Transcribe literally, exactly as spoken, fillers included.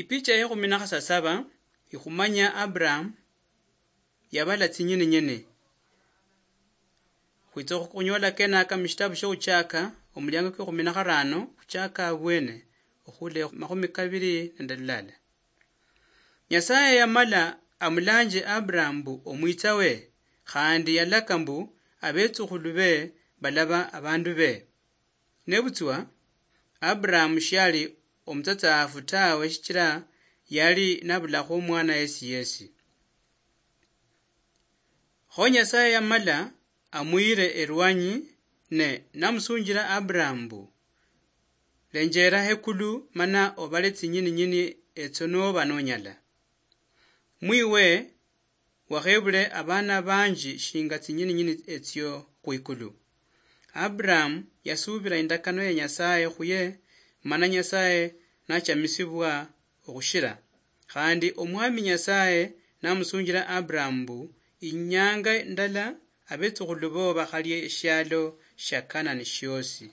Ipicha ye khumi na khasasaba ikhumanya Abraham yabala tsinyini nyini. Khwitsa khunyola kenaka mushitabu shokhuchaka, omuliango kwekhumi na kharano, khuchaka abwene, okhula makhumi kabiri nende lulala. Nyasaye yamala amulanje Abraham mbu omwitsa we, khandi yalaka mbu abetsukhulu be balaba abandu be. Nebutswa, Abraham shiali omutsatsafu tawe, shichila yali nabulakho omwana yesi yesi. Kho Nyasaye yamala amuyire erwanyi, ne namusunjira Abraham mbu, "Lenjera hekulu mana obale tsinyini nyini etso noba nonyala. Mwiwe wakhebule abana banji shinga tsinyini nyini etsio khwikulu." Abraham yasubira indakano ya Nyasaye khuye, mana Nyasaye nachamisibwa okhushira. Khandi Omwami Nyasaye namusunjira Abraham mbu, "Inyanga ndala abetsukhulu bo bakhalia eshialo shia Kanani shiosi."